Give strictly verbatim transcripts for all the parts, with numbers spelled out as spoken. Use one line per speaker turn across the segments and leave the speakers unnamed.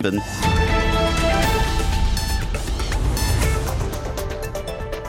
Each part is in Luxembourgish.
An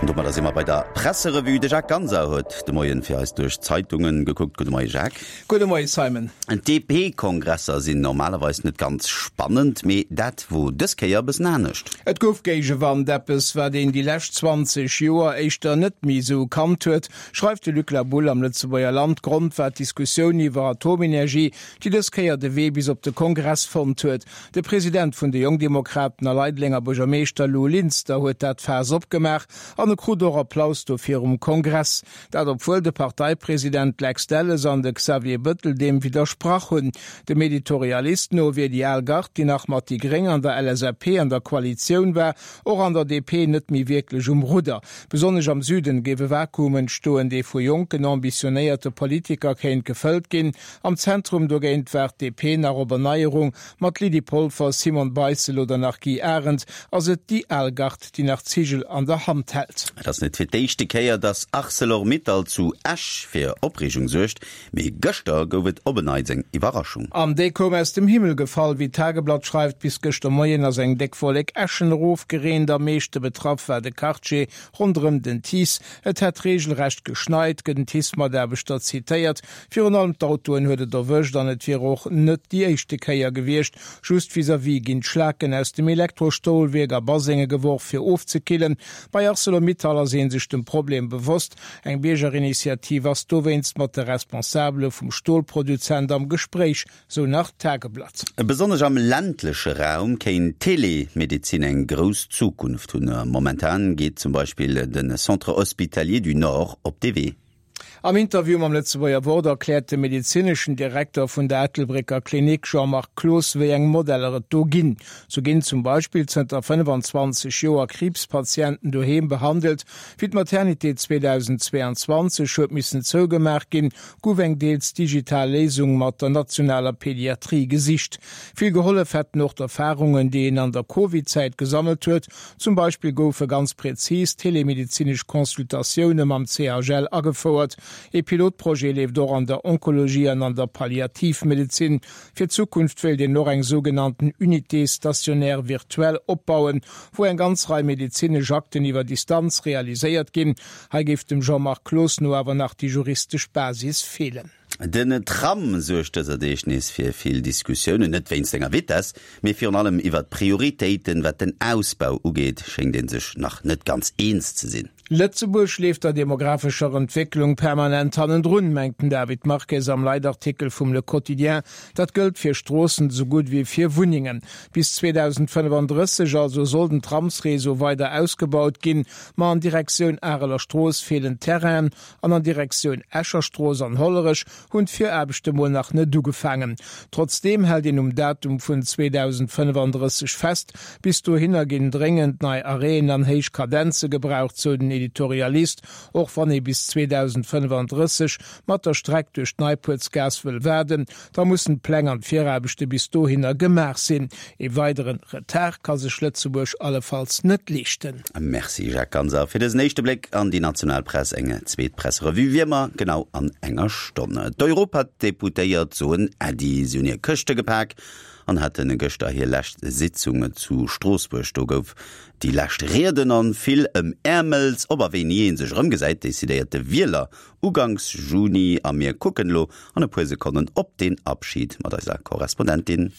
domadder si mer bei der Presserevue. De Jacques Ganser huet de Moien fir eis duerch d'Zeitungen gekuckt. Gudde Moie Jacques.
Gudde Moie Simon.
D P-Kongresser sinn normalerweis net ganz spannend, mee dat wor dës Kéier e bëssen anescht.
Et gouf Géigewand, eppes wat een déi lescht zwanzeg Joer éischter net méi esou kannt huet, schreift de Luc Laboulle am Lëtzebuerger Land. Grond war d'Diskussioun iwwer Atomenergie, déi dës Kéier de Wee bis op de Kongress fonnt huet. De President vun de Jongdemokraten a Leidelenger Buergermeeschter Lou Linster huet dat Faass opgemaach an e krut och Applaus dofir um Kongress. Dat obwuel de Parteipresident Lex Delles an de Xavier Bëttel deem widdersprach hunn. Dem Editorialist no wier déi al Gard, déi nach mat déi Gréng an der L S A P an der Koalitioun war, och an der D P net méi wierklech um Rudder. Besonnesch am Süden géif e Vakuum entstoen, dee vu jonken, ambitionéierte Politiker kéint gefëllt ginn. Am Zentrum dogéint waart d'D P nach op Erneierung. Mat Lydie Polfer, Simone Beissel oder nach Guy Arendt ass et déi al Gard, déi nach d'Zigel an der Hand hält.
Et ass net fir d'éischte Kéier, datt Arcelor-Mittal zu Esch fir Opreegung suergt, mee gëschter gouf et op en Neits eng Iwwerraschung.
An déi koum aus dem Himmel gefall, wéi d'Tageblatt schreift. Bis gëschter Moien ass eng déck Wollek Äschen erofgereent. Am meeschte betraff war de Quartier ronderëm den T I C E. Et hätt reegelrecht geschneit, gëtt en T I C E-Mataarbechter zitéiert. Virun allem d'Autoen huet et erwëscht an et wier och net déi éischte Kéier gewiescht. Just vis-à-vis ginn d'Schlaken aus dem Elektrostolwierk a Basenge geworf, fir ofzekillen. Bei Arcelor-Mittal ass ee sech dem Problem bewosst. Eng Biergerinitiativ ass dowéinst mat de Responsabele vum Stolproduzent am Gespréich, sou nach d'Tageblatt.
Besonnesch am ländleche Raum kéint d'Telemedezin eng grouss Zukunft hunn. Momentan geet zum Beispill de Centre Hospitalier du Nord op dee Wee.
Am Interview mam Lëtzebuerger Wort erkläert de medezineschen Direkter vun der Ettelbrécker Klinik Jean-Marc Cloos, wéi eng Modeller et do ginn. Sou ginn zum Beispill zënter fënnefenzwanzeg Joer Kriibspatienten doheem behandelt. Wéi d'Maternité zweedausendzweeanzwanzeg huet missen zougemaach ginn, gouf eng deels digital Léisung mat der nationaler Pediatrie gesicht. Vill gehollef hätten och d'Erfarungen, déi een an der Covid-Zäit gesammelt huet. Zum Beispill goufe ganz prezis telemedezinesch Consultatioune mam C H L agefouert. E Pilotprojet leeft och an der Onkologie an an der Palliativmedezin. Fir d'Zukunft wéilt een och eng sougenannten Unité stationnaire virtuelle opbauen, wou eng ganz Rei medezinesch Akten iwwer Distanz realiséiert ginn. Hei géif dem Jean-Marc Cloos no awer nach déi juristesch Basis feelen.
Den Tram suergt dëser Deeg nees fir vill Diskussiounen, net wéinst senger Vitess, mee virun allem iwwer d'Prioritéiten, wat den Ausbau ugeet, schéngt ee sech nach net ganz eens ze sinn.
Lëtzebuerg leeft der demographescher Entwécklung permanent hannendrun, mengt den David Marques am Leitartikel vum Le Quotidien. Dat gëllt fir Stroossen esou gutt wéi fir Wunnengen. Bis zweedausendfënnefandrësseg also soll den Tramsreseau weider ausgebaut ginn, ma an Direktioun Areler Strooss feelen Terrainen an an Direktioun Escher Strooss an Hollerech hunn d'Viraarbechte mol nach net ugefaangen. Trotzdeem hält een um Datum vun zweedausendfënnefandrësseg fest. Bis dohinner ginn dréngend nei Arrêten an héich Kadenze gebraucht, sou den Editorialist. Och wann ee bis zweedausendfënnefandrësseg mat der Streck duerch d'Neipuertsgaass wëll waarden, da mussen d'Pläng an d'Viraarbechte bis dohinner gemaach sinn. E weidere Retard ka sech Lëtzebuerg allefalls net leeschten.
Merci Jacques Ganser fir dësen éischte Bléck an déi national Press. Eng zweet Presserevue wéi ëmmer genau an enger Stonn. D'Europadeputéiert soen Äddi, si hunn hir Këschte gepak an hate gëschter hir lescht Sitzung zu Stroossbuerg. Do gouf déi lescht Rieden an vill Ëmäermels. Ob a wéini ee sech erëmgesäit, decidéiert de Wieler uganks Juni a mir kucken elo an e puer Sekonnen op den Abschid mat eiser Korrespondentin.